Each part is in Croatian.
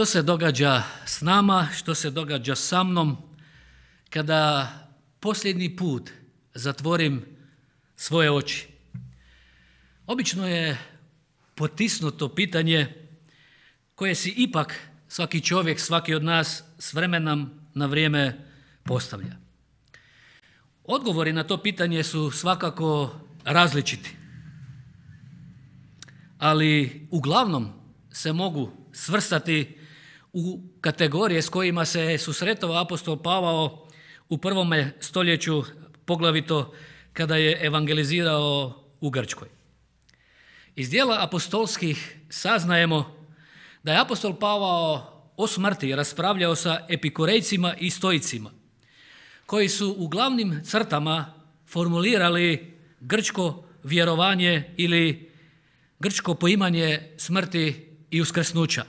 Što se događa s nama, što se događa sa mnom kada posljednji put zatvorim svoje oči? Obično je potisnuto pitanje koje si ipak svaki čovjek, svaki od nas s vremena na vrijeme postavlja. Odgovori na to pitanje su svakako različiti, ali uglavnom se mogu svrstati u kategorije s kojima se susretao apostol Pavao u 1. stoljeću, poglavito kada je evangelizirao u Grčkoj. Iz dijela apostolskih saznajemo da je apostol Pavao o smrti raspravljao sa epikurejcima i stoicima, koji su u glavnim crtama formulirali grčko vjerovanje ili grčko poimanje smrti i uskrsnuća.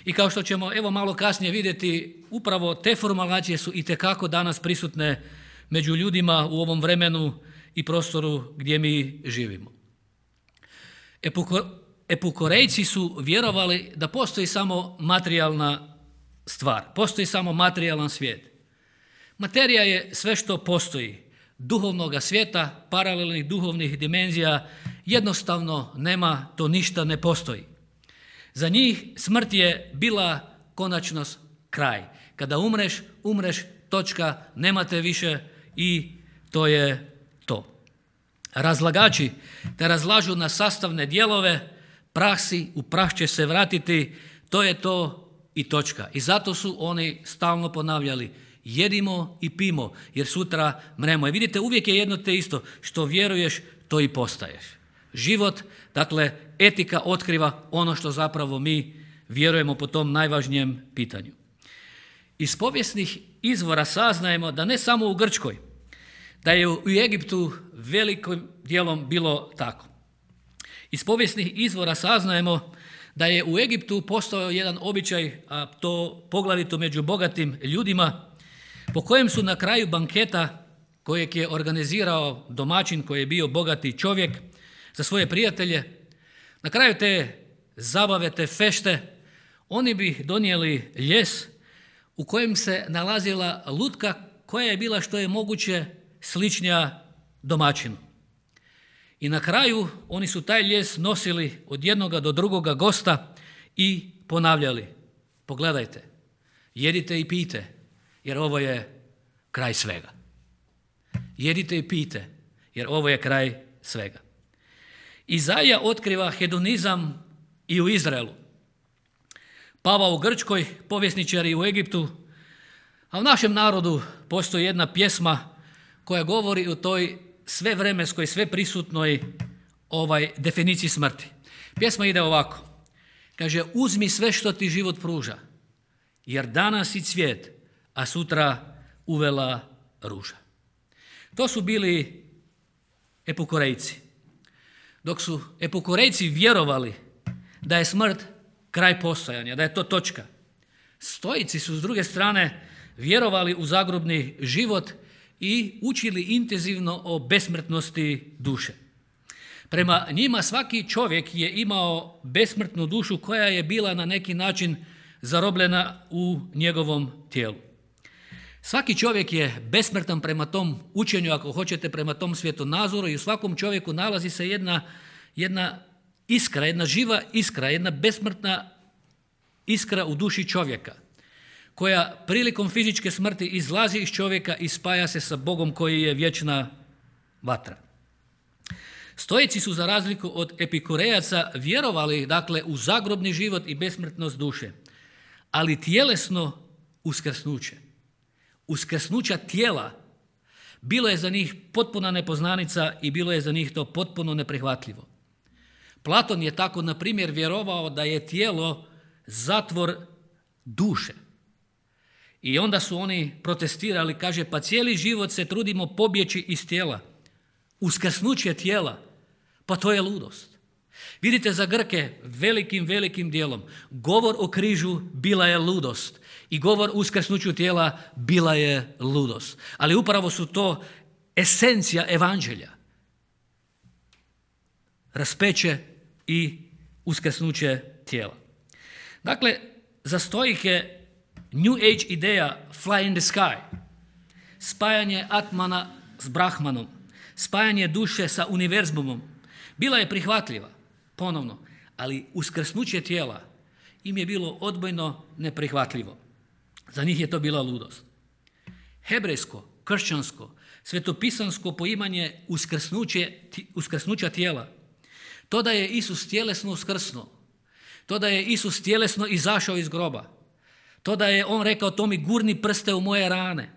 I kao što ćemo evo malo kasnije vidjeti, upravo te formulacije su itekako danas prisutne među ljudima u ovom vremenu i prostoru gdje mi živimo. Epikurejci su vjerovali da postoji samo materijalna stvar, postoji samo materijalan svijet. Materija je sve što postoji, duhovnoga svijeta, paralelnih duhovnih dimenzija, jednostavno nema, to ništa ne postoji. Za njih smrt je bila konačnost, kraj. Kada umreš, točka, nemate više i to je to. Razlagači te razlažu na sastavne dijelove, prah si, u prah će se vratiti, to je to i točka. I zato su oni stalno ponavljali, jedimo i pimo, jer sutra mremo. I vidite, uvijek je jedno te isto, što vjeruješ, to i postaješ. Život, dakle, etika otkriva ono što zapravo mi vjerujemo po tom najvažnijem pitanju. Iz povijesnih izvora saznajemo da ne samo u Grčkoj, da je u Egiptu velikim dijelom bilo tako. Iz povijesnih izvora saznajemo da je u Egiptu postojao jedan običaj, a to poglavito među bogatim ljudima, po kojem su na kraju banketa kojeg je organizirao domaćin koji je bio bogati čovjek za svoje prijatelje, na kraju te zabave, te fešte, oni bi donijeli ljes u kojem se nalazila lutka koja je bila što je moguće sličnija domaćinu. I na kraju oni su taj ljes nosili od jednoga do drugoga gosta i ponavljali, pogledajte, jedite i pijte, jer ovo je kraj svega. Jedite i pijte, jer ovo je kraj svega. Izaija otkriva hedonizam i u Izraelu. Pavao u Grčkoj, povjesničari u Egiptu, a u našem narodu postoji jedna pjesma koja govori o toj svevremenskoj, sveprisutnoj definiciji smrti. Pjesma ide ovako. Kaže, uzmi sve što ti život pruža, jer danas si cvijet, a sutra uvela ruža. To su bili epikurejci. Dok su epikurejci vjerovali da je smrt kraj postojanja, da je to točka, stoici su s druge strane vjerovali u zagrobni život i učili intenzivno o besmrtnosti duše. Prema njima svaki čovjek je imao besmrtnu dušu koja je bila na neki način zarobljena u njegovom tijelu. Svaki čovjek je besmrtan prema tom učenju, ako hoćete, prema tom svjetonazoru, i u svakom čovjeku nalazi se jedna iskra, jedna živa iskra, jedna besmrtna iskra u duši čovjeka, koja prilikom fizičke smrti izlazi iz čovjeka i spaja se sa Bogom koji je vječna vatra. Stoici su, za razliku od epikurejaca, vjerovali, dakle, u zagrobni život i besmrtnost duše, ali tjelesno uskrsnuće. Uskrsnuća tijela bilo je za njih potpuna nepoznanica i bilo je za njih to potpuno neprihvatljivo. Platon je tako, na primjer, vjerovao da je tijelo zatvor duše. I onda su oni protestirali, kaže, pa cijeli život se trudimo pobjeći iz tijela. Uskrsnuće tijela, pa to je ludost. Vidite, za Grke velikim dijelom govor o križu bila je ludost i govor o uskrsnuću tijela bila je ludost. Ali upravo su to esencija evanđelja. Raspeće i uskrsnuće tijela. Dakle, za stoike New Age ideja fly in the sky, spajanje Atmana s Brahmanom, spajanje duše sa univerzumom, bila je prihvatljiva, ponovno, ali uskrsnuće tijela im je bilo odbojno neprihvatljivo. Za njih je to bila ludost. Hebrejsko, kršćansko, svetopisansko poimanje uskrsnuća tijela, to da je Isus tjelesno uskrsnuo, to da je Isus tjelesno izašao iz groba, to da je on rekao to mi gurni prste u moje rane,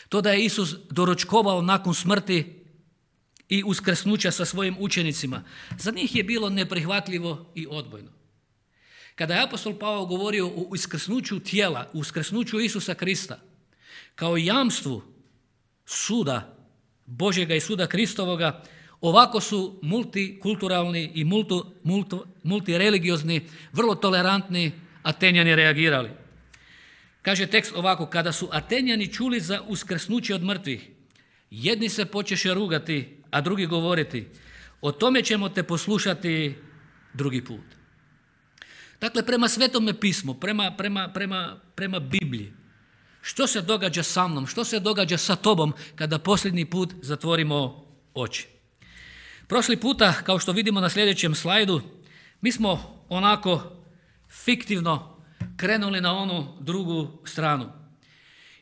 to da je Isus doručkovao nakon smrti i uskrsnuća sa svojim učenicima, za njih je bilo neprihvatljivo i odbojno. Kada je apostol Pavao govorio o uskrsnuću tijela, uskrsnuću Isusa Krista, kao jamstvu suda Božjega i suda Kristovoga, ovako su multikulturalni i multireligiozni, vrlo tolerantni Atenjani reagirali. Kaže tekst ovako, kada su Atenjani čuli za uskrsnuće od mrtvih, jedni se počeše rugati, a drugi govoriti, o tome ćemo te poslušati drugi put. Dakle, prema Svetome pismu, prema Bibliji, što se događa sa mnom, što se događa sa tobom kada posljednji put zatvorimo oči? Prošli puta, kao što vidimo na sljedećem slajdu, mi smo onako fiktivno krenuli na onu drugu stranu.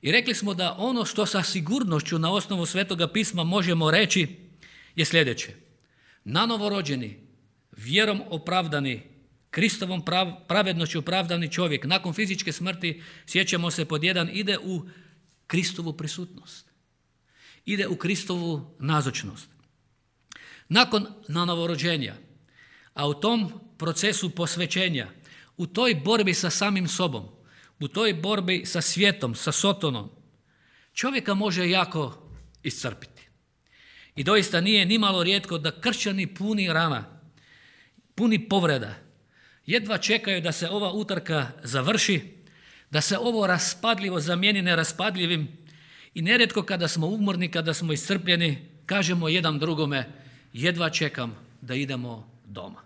I rekli smo da ono što sa sigurnošću na osnovu Svetoga pisma možemo reći je sljedeće. Nanovo rođeni, vjerom opravdani, Kristovom pravednošću opravdani čovjek nakon fizičke smrti, sjećamo se pod jedan, ide u Kristovu prisutnost. Ide u Kristovu nazočnost. Nakon nanovorođenja, a u tom procesu posvećenja, u toj borbi sa samim sobom, u toj borbi sa svijetom, sa Sotonom, čovjeka može jako iscrpiti. I doista nije nimalo rijetko da kršćani puni rana, puni povreda, jedva čekaju da se ova utrka završi, da se ovo raspadljivo zamijeni neraspadljivim i nerijetko kada smo umorni, kada smo iscrpljeni, kažemo jedan drugome, jedva čekam da idemo doma.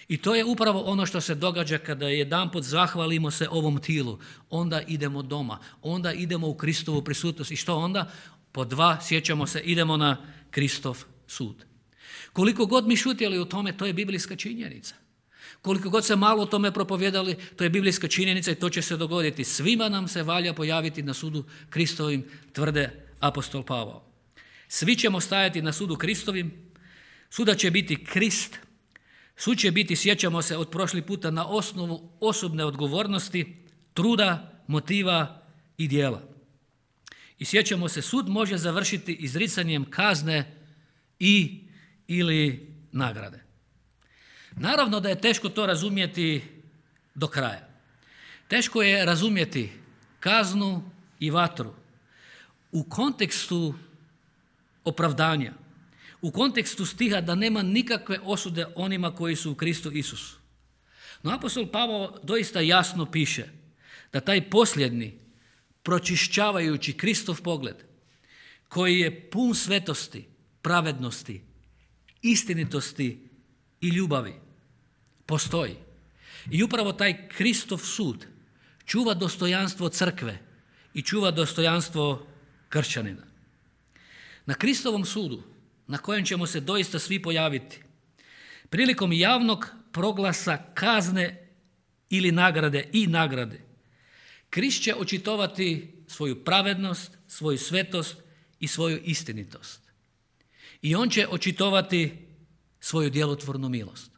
I to je upravo ono što se događa kada jedanput zahvalimo se ovom tilu. Onda idemo doma, onda idemo u Kristovu prisutnost. I što onda? Po dva, sjećamo se, idemo na Kristov sud. Koliko god mi šutjeli u tome, to je biblijska činjenica. Koliko god se malo o tome propovjedali, to je biblijska činjenica i to će se dogoditi. Svima nam se valja pojaviti na sudu Kristovim, tvrde apostol Pavao. Svi ćemo stajati na sudu Kristovim, suda će biti Krist, sud će biti, sjećamo se od prošli puta, na osnovu osobne odgovornosti, truda, motiva i djela. I sjećamo se, sud može završiti izricanjem kazne i ili nagrade. Naravno da je teško to razumjeti do kraja. Teško je razumjeti kaznu i vatru u kontekstu opravdanja, u kontekstu stiha da nema nikakve osude onima koji su u Kristu Isusu. No apostol Pavao doista jasno piše da taj posljednji, pročišćavajući Kristov pogled, koji je pun svetosti, pravednosti, istinitosti i ljubavi, postoji. I upravo taj Kristov sud čuva dostojanstvo crkve i čuva dostojanstvo kršćanina. Na Kristovom sudu, na kojem ćemo se doista svi pojaviti, prilikom javnog proglasa kazne ili nagrade, Krist će očitovati svoju pravednost, svoju svetost i svoju istinitost. I on će očitovati svoju djelotvornu milost.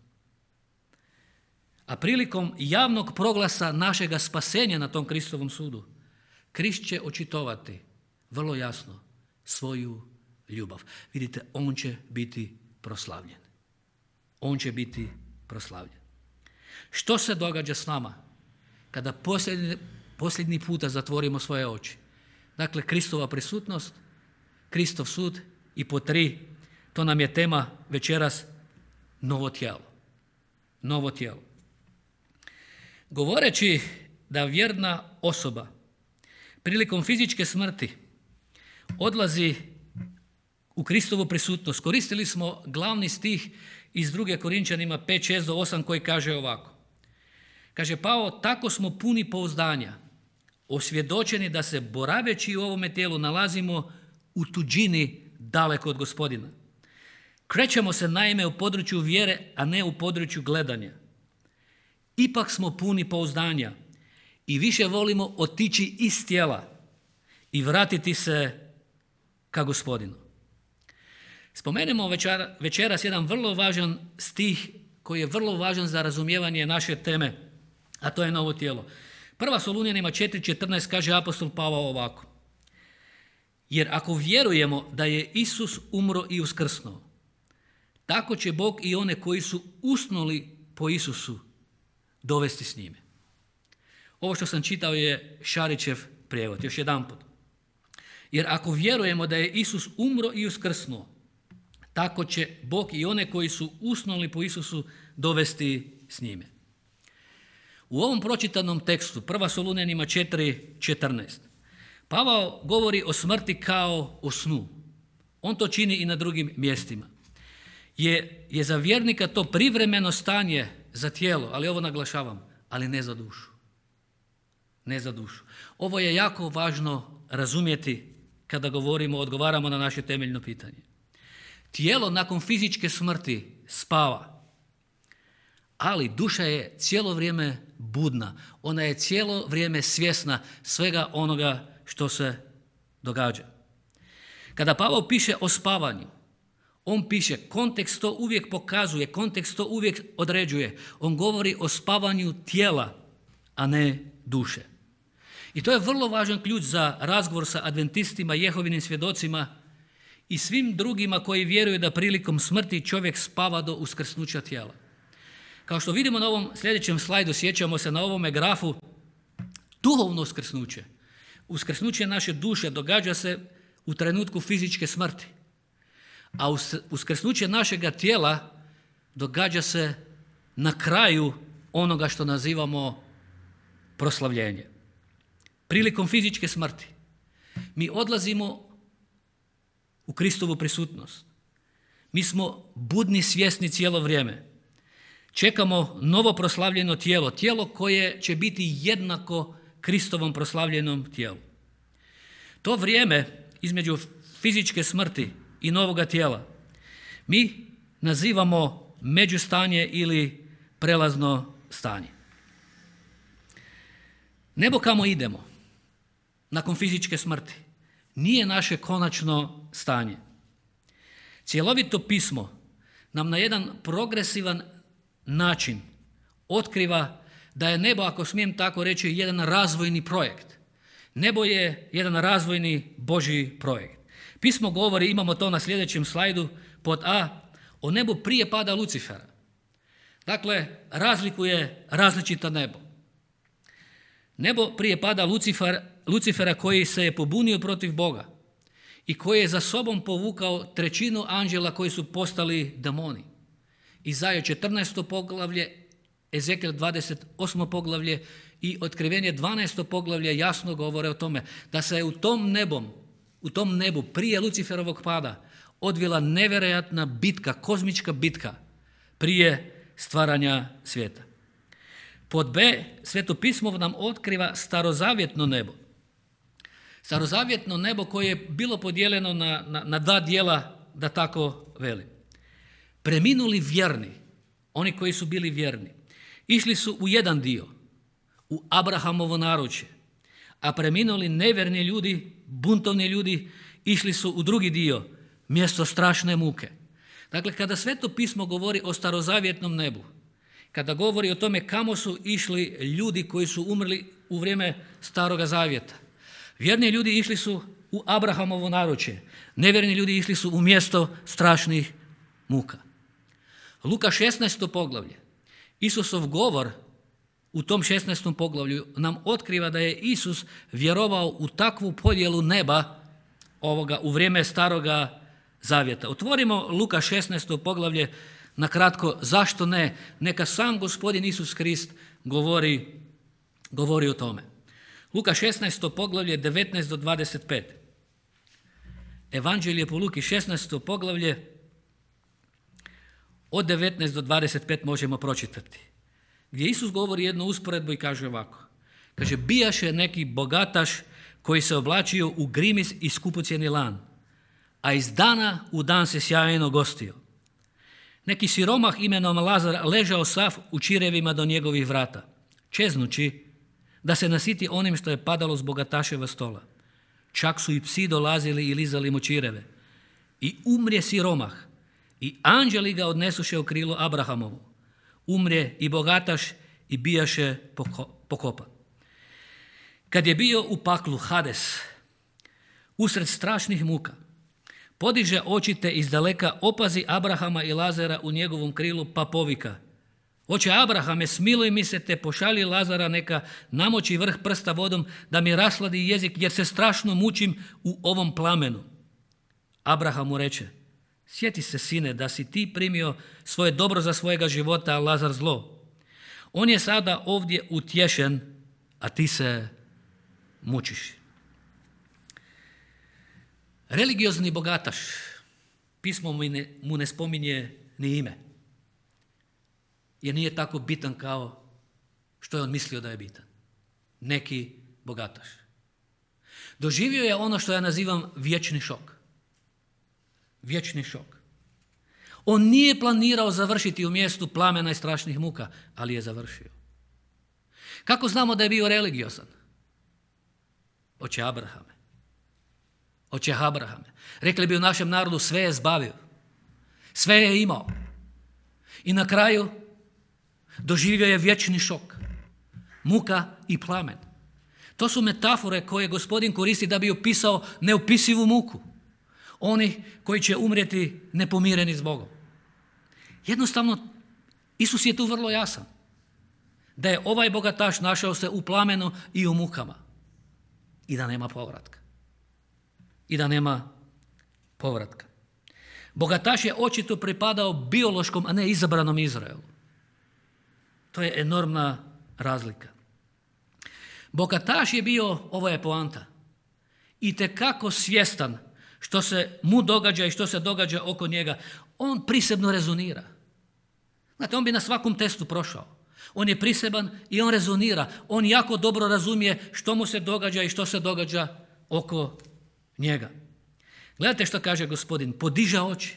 A prilikom javnog proglasa našega spasenja na tom Kristovom sudu, Krist će očitovati vrlo jasno svoju ljubav. Vidite, on će biti proslavljen. On će biti proslavljen. Što se događa s nama kada posljednji puta zatvorimo svoje oči? Dakle, Kristova prisutnost, Kristov sud i po 3, to nam je tema večeras, novo tijelo. Novo tijelo. Govoreći da vjerna osoba prilikom fizičke smrti odlazi u Kristovu prisutnost, koristili smo glavni stih iz 2. Korinčanima 5, 6 do 8 koji kaže ovako. Kaže Pavao, tako smo puni pouzdanja, osvjedočeni da se boraveći u ovome tijelu nalazimo u tuđini daleko od Gospodina. Krećemo se naime u području vjere, a ne u području gledanja. Ipak smo puni pouzdanja i više volimo otići iz tijela i vratiti se ka Gospodinu. Spomenemo večeras jedan vrlo važan stih koji je vrlo važan za razumijevanje naše teme, a to je novo tijelo. Prva Solunjanima 4.14 kaže apostol Pavao ovako. Jer ako vjerujemo da je Isus umro i uskrsnuo, tako će Bog i one koji su usnuli po Isusu dovesti s njime. Ovo što sam čitao je Šarićev prijevod, još jedanput. Jer ako vjerujemo da je Isus umro i uskrsnuo, tako će Bog i one koji su usnuli po Isusu dovesti s njime. U ovom pročitanom tekstu, 1. Solunjanima 4.14, Pavao govori o smrti kao o snu. On to čini i na drugim mjestima. Je za vjernika to privremeno stanje za tijelo, ali ovo naglašavam, ali ne za dušu. Ne za dušu. Ovo je jako važno razumjeti kada odgovaramo na naše temeljno pitanje. Tijelo nakon fizičke smrti spava, ali duša je cijelo vrijeme budna. Ona je cijelo vrijeme svjesna svega onoga što se događa. Kada Pavao piše o spavanju, on piše, kontekst to uvijek pokazuje, kontekst to uvijek određuje. On govori o spavanju tijela, a ne duše. I to je vrlo važan ključ za razgovor sa adventistima, Jehovinim svjedocima i svim drugima koji vjeruju da prilikom smrti čovjek spava do uskrsnuća tijela. Kao što vidimo na ovom sljedećem slajdu, sjećamo se na ovome grafu, duhovno uskrsnuće. Uskrsnuće naše duše događa se u trenutku fizičke smrti, a uskrsnuće našega tijela događa se na kraju onoga što nazivamo proslavljenje. Prilikom fizičke smrti mi odlazimo u Kristovu prisutnost. Mi smo budni, svjesni cijelo vrijeme. Čekamo novo proslavljeno tijelo, tijelo koje će biti jednako Kristovom proslavljenom tijelu. To vrijeme između fizičke smrti i novoga tijela mi nazivamo međustanje ili prelazno stanje. Nebo kamo idemo nakon fizičke smrti nije naše konačno stanje. Cjelovito pismo nam na jedan progresivan način otkriva da je nebo, ako smijem tako reći, jedan razvojni projekt. Nebo je jedan razvojni Božji projekt. Pismo govori, imamo to na sljedećem slajdu, pod A, o nebu prije pada Lucifera. Dakle, razlikuje različita nebo. Nebo prije pada Lucifera koji se je pobunio protiv Boga i koji je za sobom povukao 1/3 anđela koji su postali demoni. Izaja 14. poglavlje, Ezekiel 28. poglavlje i Otkrivenje 12. poglavlje jasno govore o tome da se je u tom nebu prije Luciferovog pada odvila nevjerojatna bitka, kozmička bitka prije stvaranja svijeta. Pod B, Sveto pismo nam otkriva starozavjetno nebo. Starozavjetno nebo koje je bilo podijeljeno na dva dijela, da tako velim. Preminuli vjerni, oni koji su bili vjerni, išli su u jedan dio, u Abrahamovo naručje, a preminuli nevjerni ljudi, buntovni ljudi, išli su u drugi dio, mjesto strašne muke. Dakle, kada Sveto pismo govori o starozavjetnom nebu, kada govori o tome kamo su išli ljudi koji su umrli u vrijeme Staroga zavjeta, vjerni ljudi išli su u Abrahamovo naručje, nevjerni ljudi išli su u mjesto strašnih muka. Luka 16. poglavlje, Isusov govor u tom 16. poglavlju nam otkriva da je Isus vjerovao u takvu podjelu neba u vrijeme Staroga zavjeta. Otvorimo Luka 16. poglavlje, na kratko, zašto ne? Neka sam Gospodin Isus Krist govori o tome. Luka 16. poglavlje 19 do 25. Evanđelje po Luki 16. poglavlje od 19 do 25 možemo pročitati. gdje Isus govori jednu usporedbu i kaže ovako. Kaže, bijaše neki bogataš koji se oblačio u grimis i skupocjeni lan, a iz dana u dan se sjajno gostio. Neki siromah imenom Lazar ležao sav u čirevima do njegovih vrata, čeznući da se nasiti onim što je padalo s bogataševa stola. Čak su i psi dolazili i lizali mu čireve. I umrje siromah, i anđeli ga odnesuše u krilo Abrahamovu. Umrje i bogataš i bijaše pokopan. Kad je bio u paklu Hades, usred strašnih muka, podiže oči te izdaleka opazi Abrahama i Lazara u njegovom krilu pa povika. Oče Abrahame, smiluj mi se te pošalji Lazara neka namoči vrh prsta vodom da mi rasladi jezik jer se strašno mučim u ovom plamenu. Abraham mu reče, sjeti se sine da si ti primio svoje dobro za svojega života, a Lazar zlo. On je sada ovdje utješen, a ti se mučiš. Religiozni bogataš, pismo mu ne spominje ni ime, jer nije tako bitan kao što je on mislio da je bitan. Neki bogataš. Doživio je ono što ja nazivam vječni šok. Vječni šok. On nije planirao završiti u mjestu plamena i strašnih muka, ali je završio. Kako znamo da je bio religiozan? Oče Abrahame. Oče Abrahame. Rekli bi u našem narodu, sve je zbavio. Sve je imao. I na kraju doživio je vječni šok. Muka i plamen. To su metafore koje Gospodin koristi da bi opisao neopisivu muku. Oni koji će umrijeti nepomireni s Bogom. Jednostavno, Isus je tu vrlo jasan. Da je ovaj bogataš našao se u plamenu i u mukama. I da nema povratka. I da nema povratka. Bogataš je očito pripadao biološkom, a ne izabranom Izraelu. To je enormna razlika. Bogataš je bio, ovo je poanta, itekako svjestan što se mu događa i što se događa oko njega. On prisebno rezonira. Znate, on bi na svakom testu prošao. On je priseban i on rezonira. On jako dobro razumije što mu se događa i što se događa oko njega. Gledajte što kaže Gospodin. Podiže oči.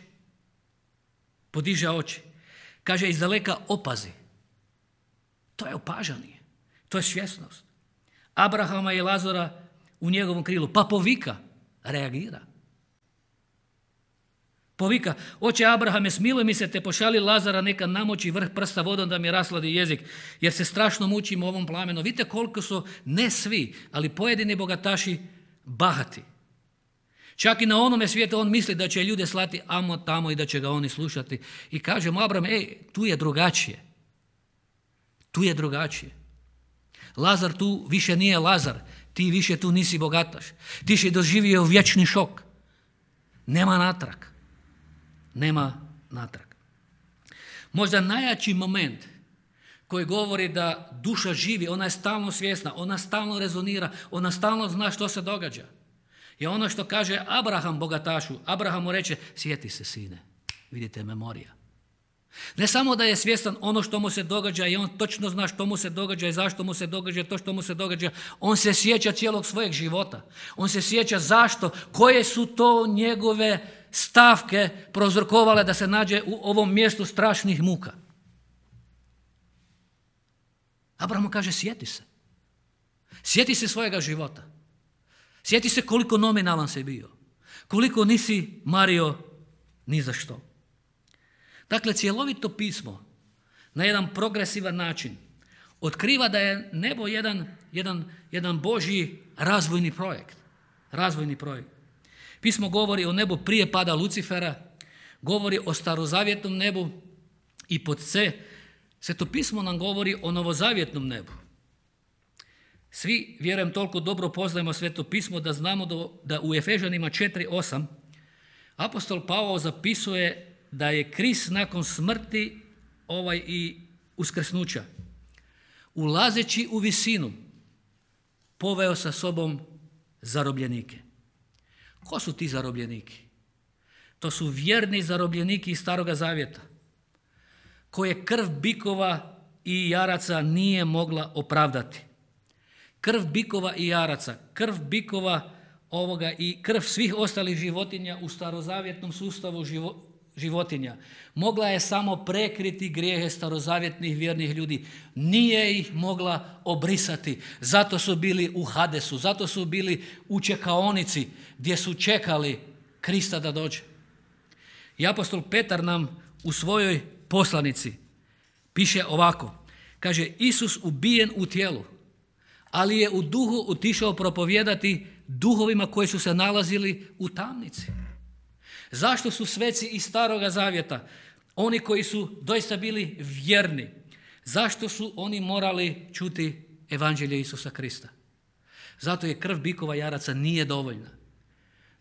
Podiže oči. Kaže izdaleka opazi. To je opažanje. To je svjesnost. Abrahama i Lazara u njegovom krilu. Pa povika. Reagira. Povika, oče Abrahame, smiluj mi se te pošalji Lazara neka namoči vrh prsta vodom da mi rasladi jezik, jer se strašno mučim u ovom plamenu. Vidite koliko su, ne svi, ali pojedini bogataši bahati. Čak i na onome svijetu on misli da će ljude slati amo tamo i da će ga oni slušati. I kaže mu Abraham, tu je drugačije. Tu je drugačije. Lazar tu više nije Lazar, ti više tu nisi bogataš. Ti si doživio vječni šok. Nema natrag. Nema natrag. Možda najjači moment koji govori da duša živi, ona je stalno svjesna, ona stalno rezonira, ona stalno zna što se događa. Je ono što kaže Abraham bogatašu. Abraham mu reče, sjeti se sine, vidite memorija. Ne samo da je svjestan ono što mu se događa i on točno zna što mu se događa i zašto mu se događa to što mu se događa, on se sjeća cijelog svojeg života. On se sjeća zašto, koje su to njegove stavke prouzrokovale da se nađe u ovom mjestu strašnih muka. Abraham mu kaže, sjeti se. Sjeti se svojega života. Sjeti se koliko nominalan si bio. Koliko nisi mario ni za što. Dakle, cjelovito pismo na jedan progresivan način otkriva da je nebo jedan Božji razvojni projekt. Razvojni projekt. Pismo govori o nebu prije pada Lucifera, govori o starozavjetnom nebu i pod C, Sveto pismo nam govori o novozavjetnom nebu. Svi, vjerujem, toliko dobro poznajemo Sveto pismo da znamo da u Efežanima 4:8 apostol Pavao zapisuje da je Krist nakon smrti i uskrsnuća, ulazeći u visinu, poveo sa sobom zarobljenike. Ko su ti zarobljeniki? To su vjerni zarobljeniki iz Staroga zavjeta, koje krv bikova i jaraca nije mogla opravdati. Krv bikova i jaraca, krv bikova i krv svih ostalih životinja u starozavjetnom sustavu životinja mogla je samo prekriti grijehe starozavjetnih vjernih ljudi. Nije ih mogla obrisati. Zato su bili u Hadesu, zato su bili u čekaonici gdje su čekali Krista da dođe. I apostol Petar nam u svojoj poslanici piše ovako. Kaže, Isus ubijen u tijelu, ali je u duhu otišao propovijedati duhovima koji su se nalazili u tamnici. Zašto su sveci iz Staroga zavjeta, oni koji su doista bili vjerni, zašto su oni morali čuti evanđelje Isusa Krista? Zato jer krv bikova i jaraca nije dovoljna.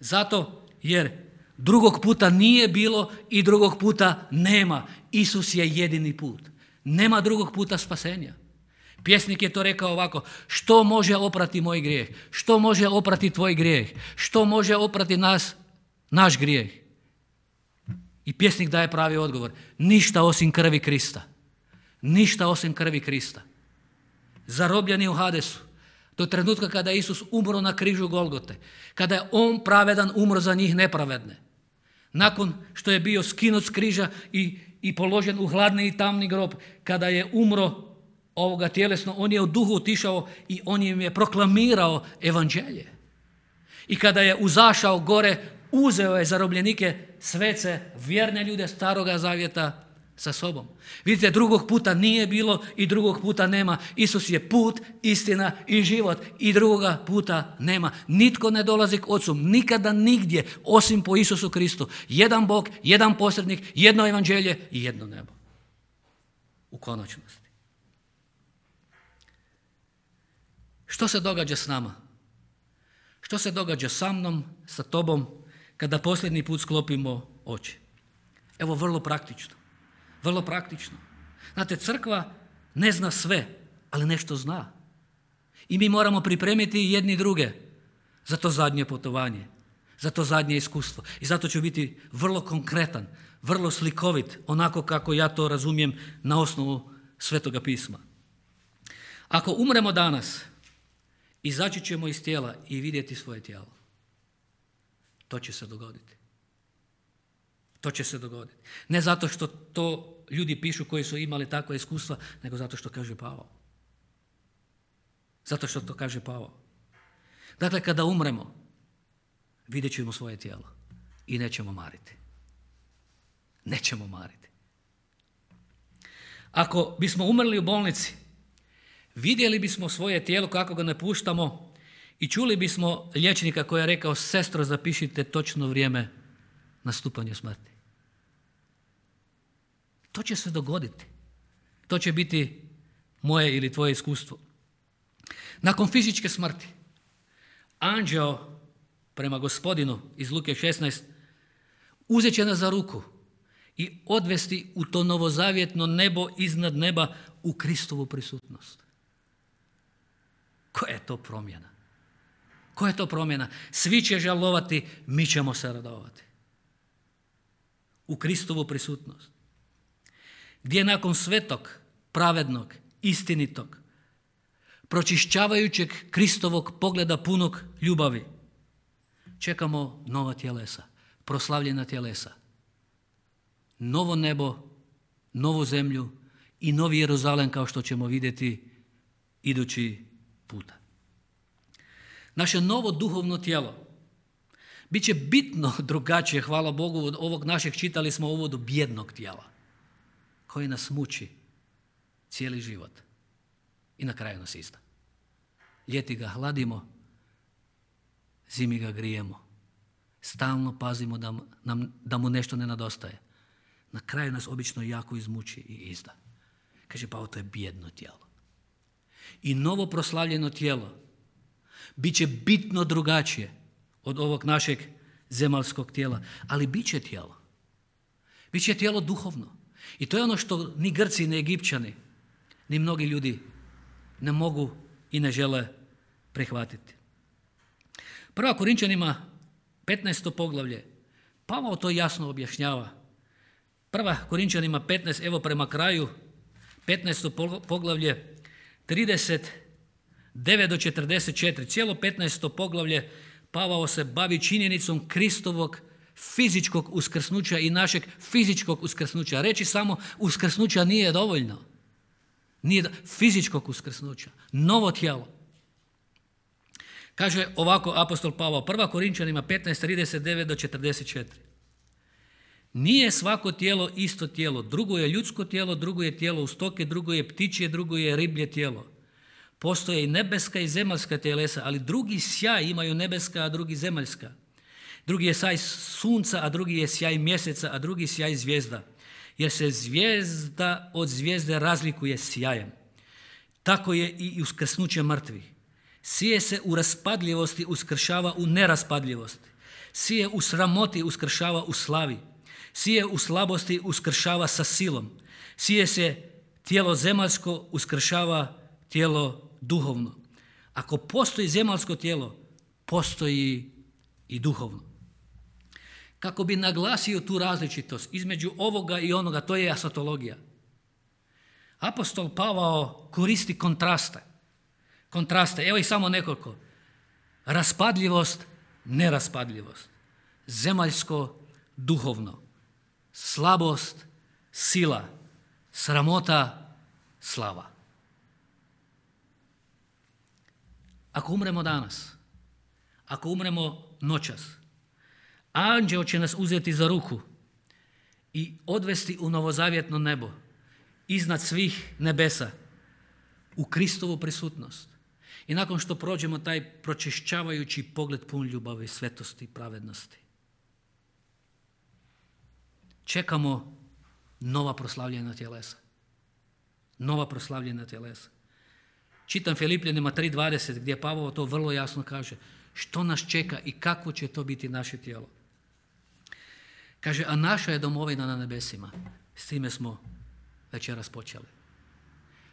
Zato jer drugog puta nije bilo i drugog puta nema. Isus je jedini put. Nema drugog puta spasenja. Pjesnik je to rekao ovako, što može oprati moj grijeh? Što može oprati tvoj grijeh? Što može oprati naš grijeh? I pjesnik daje pravi odgovor, ništa osim krvi Krista. Ništa osim krvi Krista. Zarobljeni u Hadesu, do trenutka kada je Isus umro na križu Golgote, kada je on pravedan umro za njih nepravedne. Nakon što je bio skinut s križa i položen u hladni i tamni grob, kada je umro tjelesno, on je u duhu otišao i on im je proklamirao evanđelje. I kada je uzašao gore, uzeo je zarobljenike, svece, vjerne ljude Staroga zavjeta sa sobom. Vidite, drugog puta nije bilo i drugog puta nema. Isus je put, istina i život i drugoga puta nema. Nitko ne dolazi k Ocu, nikada nigdje, osim po Isusu Kristu. Jedan Bog, jedan posrednik, jedno evanđelje i jedno nebo. U konačnosti. Što se događa s nama? Što se događa sa mnom, sa tobom, kada posljednji put sklopimo oči? Evo, vrlo praktično. Vrlo praktično. Znate, crkva ne zna sve, ali nešto zna. I mi moramo pripremiti jedni druge za to zadnje putovanje, za to zadnje iskustvo. I zato ću biti vrlo konkretan, vrlo slikovit, onako kako ja to razumijem na osnovu Svetoga pisma. Ako umremo danas, izaći ćemo iz tijela i vidjeti svoje tijelo. To će se dogoditi. To će se dogoditi. Ne zato što to ljudi pišu koji su imali takva iskustva, nego zato što kaže Pavao. Zato što to kaže Pavao. Dakle, kada umremo, vidjet ćemo svoje tijelo i nećemo mariti. Nećemo mariti. Ako bismo umrli u bolnici, vidjeli bismo svoje tijelo kako ga napuštamo i čuli bismo liječnika koji je rekao, sestro, zapišite točno vrijeme nastupanja smrti. To će se dogoditi. To će biti moje ili tvoje iskustvo. Nakon fizičke smrti, anđeo prema Gospodinu iz Luke 16 uzet će nas za ruku i odvesti u to novozavjetno nebo iznad neba u Kristovu prisutnost. Koja je to promjena? Koja je to promjena? Svi će žalovati, mi ćemo se radovati. U Kristovu prisutnost. Gdje nakon svetog, pravednog, istinitog, pročišćavajućeg Kristovog pogleda punog ljubavi, čekamo nova tjelesa, proslavljena tjelesa, novo nebo, novu zemlju i novi Jeruzalem kao što ćemo vidjeti idući puta. Naše novo duhovno tijelo bit će bitno drugačije, hvala Bogu, od ovog našeg, čitali smo u uvodu, bijednog tijela koji nas muči cijeli život i na kraju nas izda. Ljeti ga hladimo, zimi ga grijemo. Stalno pazimo da mu nešto ne nedostaje. Na kraju nas obično jako izmuči i izda. Kaže, pa to je bijedno tijelo. I novo proslavljeno tijelo bit će bitno drugačije od ovog našeg zemaljskog tijela, ali bit će tijelo. Bit će tijelo duhovno. I to je ono što ni Grci, ni Egipćani, ni mnogi ljudi ne mogu i ne žele prihvatiti. 1. Korinčanima 15. poglavlje, Pavao to jasno objašnjava. 1. Korinčanima 15, evo prema kraju, 15. poglavlje 39 do 44. Cijelo 15. poglavlje Pavao se bavi činjenicom Kristovog fizičkog uskrsnuća i našeg fizičkog uskrsnuća. Reći samo uskrsnuća nije dovoljno. Nije fizičkog uskrsnuća. Novo tijelo. Kaže ovako apostol Pavao, 1. Korinčanima 15:39 do 44. Nije svako tijelo isto tijelo. Drugo je ljudsko tijelo, drugo je tijelo u stoke, drugo je ptičje, drugo je riblje tijelo. Postoje i nebeska i zemaljska telesa, ali drugi sjaj imaju nebeska, a drugi zemaljska. Drugi je sjaj sunca, a drugi je sjaj mjeseca, a drugi sjaj zvijezda. Jer se zvijezda od zvijezde razlikuje sjajem. Tako je i uskrsnuće mrtvih. Sije se u raspadljivosti, uskršava u neraspadljivosti. Sije u sramoti, uskršava u slavi. Sije u slabosti, uskršava sa silom. Sije se tijelo zemaljsko, uskršava tijelo duhovno. Ako postoji zemaljsko tijelo, postoji i duhovno. Kako bi naglasio tu različitost između ovoga i onoga, to je asatologija. Apostol Pavao koristi kontraste, evo ih samo nekoliko. Raspadljivost, neraspadljivost. Zemaljsko, duhovno. Slabost, sila. Sramota, slava. Ako umremo danas, ako umremo noćas, anđeo će nas uzeti za ruku i odvesti u novozavjetno nebo, iznad svih nebesa, u Kristovu prisutnost. I nakon što prođemo taj pročišćavajući pogled pun ljubavi, svetosti i pravednosti, čekamo nova proslavljena tjelesa. Nova proslavljena tjelesa. Čitam Filipljanima 3:20 gdje Pavao to vrlo jasno kaže. Što nas čeka i kako će to biti naše tijelo. Kaže, a naša je domovina na nebesima. S time smo večeras počeli.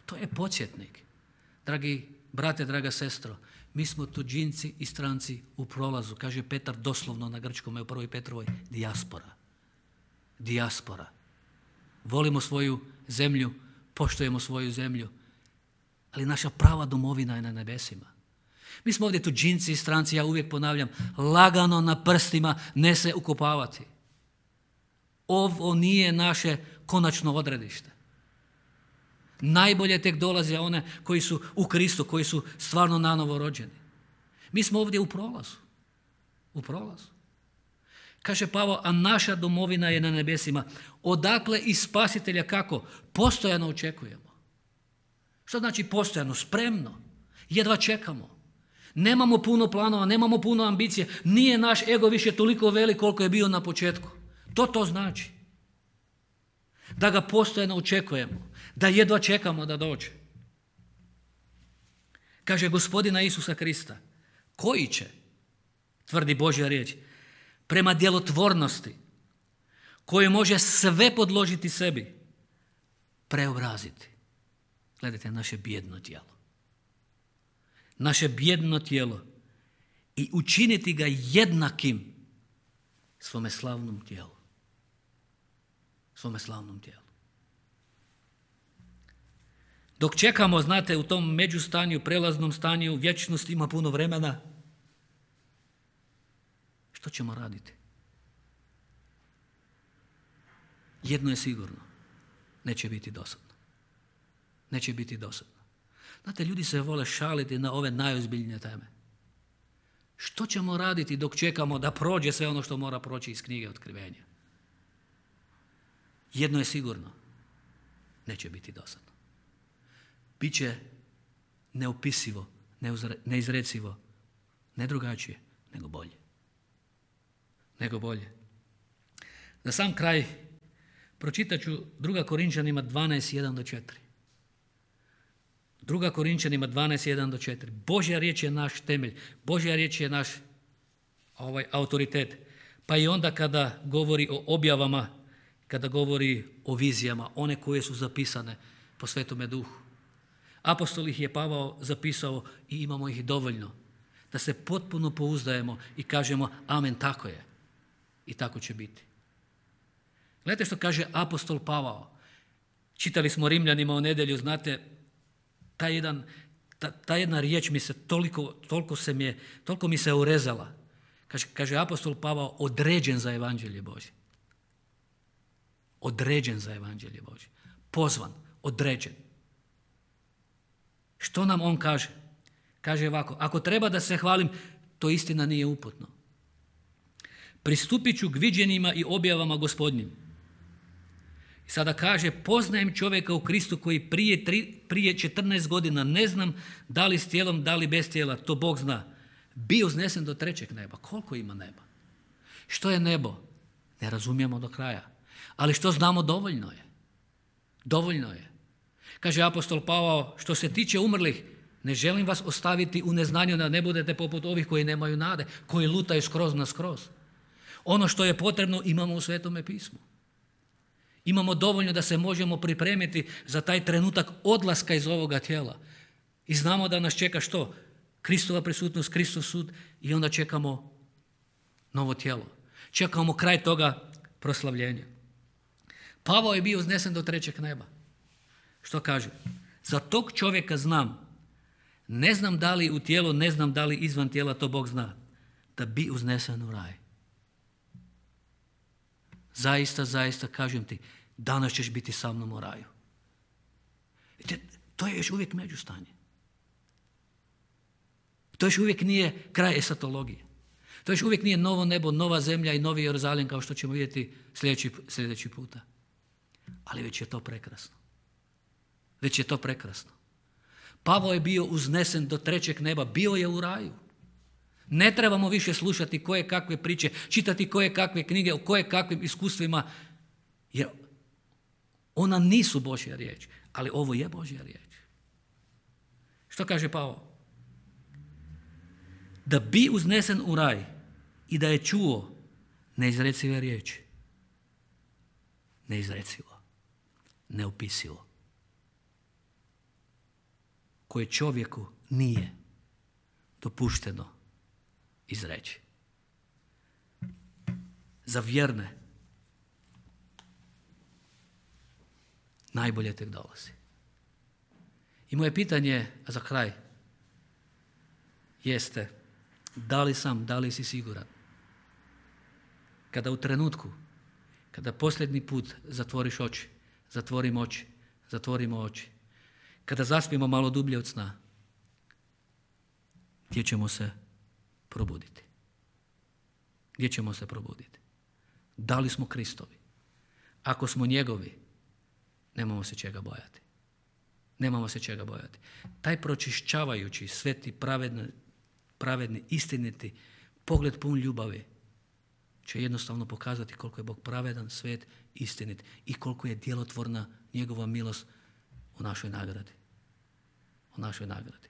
To je podsjetnik. Dragi brate, draga sestro, mi smo tuđinci i stranci u prolazu. Kaže Petar doslovno na grčkom u 1. Petrovoj, dijaspora. Dijaspora. Volimo svoju zemlju, poštujemo svoju zemlju, ali naša prava domovina je na nebesima. Mi smo ovdje tuđinci i stranci, ja uvijek ponavljam, lagano na prstima ne se ukopavati. Ovo nije naše konačno odredište. Najbolje tek dolaze one koji su u Kristu, koji su stvarno nanovo rođeni. Mi smo ovdje u prolazu. U prolazu. Kaže Pavao, a naša domovina je na nebesima. Odakle i spasitelja kako? Postojano očekujemo. Što znači postojano? Spremno. Jedva čekamo. Nemamo puno planova, nemamo puno ambicije. Nije naš ego više toliko velik koliko je bio na početku. To znači. Da ga postojano očekujemo. Da jedva čekamo da dođe. Kaže Gospodina Isusa Krista, koji će, tvrdi Božja riječ, prema djelotvornosti koje može sve podložiti sebi, preobraziti. Gledajte, naše bijedno tijelo. Naše bijedno tijelo i učiniti ga jednakim svome slavnom tijelu. Svome slavnom tijelu. Dok čekamo, znate, u tom međustanju, prelaznom stanju, vječnost ima puno vremena, što ćemo raditi? Jedno je sigurno, neće biti dosadno. Neće biti dosadno. Znate, ljudi se vole šaliti na ove najozbiljnije teme. Što ćemo raditi dok čekamo da prođe sve ono što mora proći iz knjige Otkrivenja? Jedno je sigurno, neće biti dosadno. Biće neopisivo, neizrecivo, ne drugačije, nego bolje. Nego bolje. Za sam kraj pročitat ću 2. Korinčanima 12:1 do 4. 2. Korinčanima 12:1 do 4. Božja riječ je naš temelj, Božja riječ je naš autoritet. Pa i onda kada govori o objavama, kada govori o vizijama, one koje su zapisane po Svetome Duhu. Apostol ih je Pavao zapisao i imamo ih dovoljno. Da se potpuno pouzdajemo i kažemo amen, tako je. I tako će biti. Gledajte što kaže apostol Pavao. Čitali smo Rimljanima o nedjelju, znate, ta jedna riječ mi se toliko mi se urezala. Kaže apostol Pavao, određen za evanđelje Božje. Određen za evanđelje Božje. Pozvan, određen. Što nam on kaže? Kaže ovako, ako treba da se hvalim, to istina nije uputno. Pristupit ću k viđenjima i objavama Gospodnjim. I sada kaže, poznajem čovjeka u Kristu koji prije 14 godina, ne znam da li s tijelom, da li bez tijela, to Bog zna, bio uznesen do 3. neba. Koliko ima neba? Što je nebo? Ne razumijemo do kraja. Ali što znamo, dovoljno je. Dovoljno je. Kaže apostol Pavao, što se tiče umrlih, ne želim vas ostaviti u neznanju da ne budete poput ovih koji nemaju nade, koji lutaju skroz na skroz. Ono što je potrebno imamo u Svetome pismu. Imamo dovoljno da se možemo pripremiti za taj trenutak odlaska iz ovoga tijela. I znamo da nas čeka što? Kristova prisutnost, Kristov sud i onda čekamo novo tijelo. Čekamo kraj toga proslavljenja. Pavao je bio uznesen do 3. neba. Što kaže? Za tog čovjeka znam. Ne znam da li u tijelu, ne znam da li izvan tijela, to Bog zna. Da bi uznesen u raj. Zaista, zaista kažem ti, danas ćeš biti sa mnom u raju. To je još uvijek međustanje. To još uvijek nije kraj esatologije. To još uvijek nije novo nebo, nova zemlja i novi Jeruzalim kao što ćemo vidjeti sljedeći puta. Ali već je to prekrasno. Već je to prekrasno. Pavao je bio uznesen do 3. neba, bio je u raju. Ne trebamo više slušati koje kakve priče, čitati koje kakve knjige, o koje kakvim iskustvima, jer ona nisu Božja riječ, ali ovo je Božja riječ. Što kaže Pavao? Da bi uznesen u raj i da je čuo neizrecive riječi. Neizrecivo, neopisivo. Koje čovjeku nije dopušteno izreći. Za vjerne najbolje tek dolazi. I moje pitanje za kraj jeste, da li si siguran? Kada u trenutku, kada posljednji put zatvoriš oči, zatvorimo oči, kada zaspimo malo dublje od sna, gdje ćemo se probuditi? Gdje ćemo se probuditi? Da li smo Kristovi? Ako smo njegovi, nemamo se čega bojati. Nemamo se čega bojati. Taj pročišćavajući, sveti, pravedni, istiniti pogled pun ljubavi će jednostavno pokazati koliko je Bog pravedan, svet, istinit i koliko je djelotvorna njegova milost u našoj nagradi. U našoj nagradi.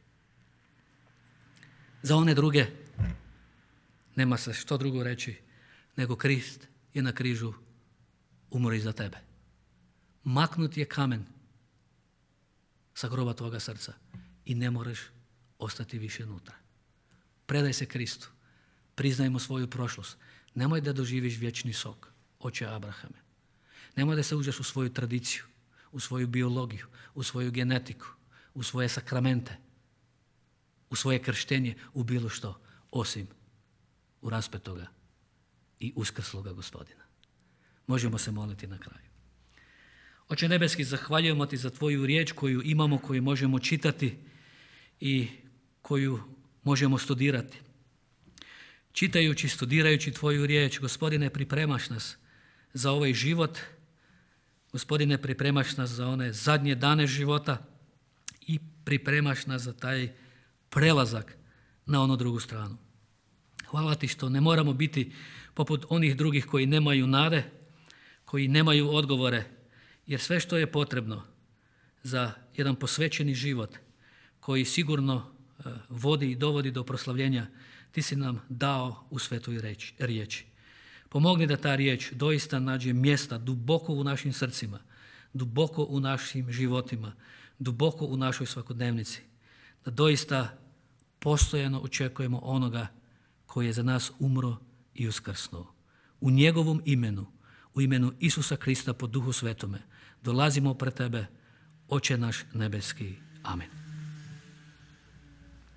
Za one druge nema se što drugo reći nego Krist je na križu umro i za tebe. Maknut je kamen sa groba tvoga srca i ne moraš ostati više unutra. Predaj se Kristu. Priznajmo svoju prošlost. Nemoj da doživiš vječni sok, oče Abrahame. Nemoj da se uđeš u svoju tradiciju, u svoju biologiju, u svoju genetiku, u svoje sakramente, u svoje krštenje, u bilo što, osim u raspetoga i uskrsloga Gospodina. Možemo se moliti na kraju. Oče nebeski, zahvaljujemo ti za tvoju riječ koju imamo, koju možemo čitati i koju možemo studirati. Čitajući, studirajući tvoju riječ, Gospodine, pripremaš nas za ovaj život. Gospodine, pripremaš nas za one zadnje dane života i pripremaš nas za taj prelazak na onu drugu stranu. Hvala ti što ne moramo biti poput onih drugih koji nemaju nade, koji nemaju odgovore, jer sve što je potrebno za jedan posvećeni život koji sigurno vodi i dovodi do proslavljenja, ti si nam dao u svetoj riječi. Pomogni da ta riječ doista nađe mjesta duboko u našim srcima, duboko u našim životima, duboko u našoj svakodnevnici. Da doista postojano očekujemo onoga koji je za nas umro i uskrsnuo. U njegovom imenu, u imenu Isusa Krista po Duhu Svetome, dolazimo pred tebe, Oče naš nebeski. Amen.